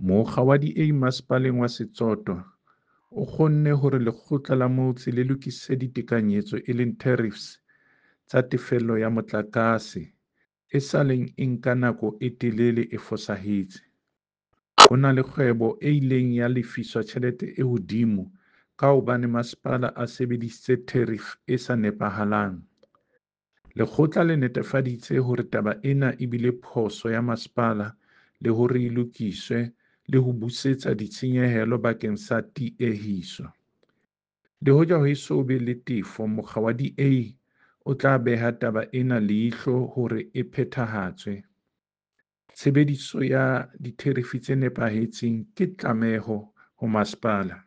Mokga wa DA Masepaleng wa Setsoto o kgonne hore lekgotla la motse le lokise ditekanyetso e leng tariffs tsa tefello ya motlakase e saleng e nka nako e telele e fosahetse. Ho na le kgwebo e ileng ya lefiswa tjhelete e hodimo ka hobane masepala a sebedisitse tariff e sa nepahalang. Lekgotla le netefaditse hore taba ena e bile phoso ya masepala le hore e lokiswe le ho busetsa ditshenyehelo bakeng sa tiehiso. Le hoja ho eso be le tefo, mokga wa DA o tla beha taba ena leihlo hore e phethahatswe. Tshebediso ya ditherifi tse nepahetseng ke tlameho ho masepala.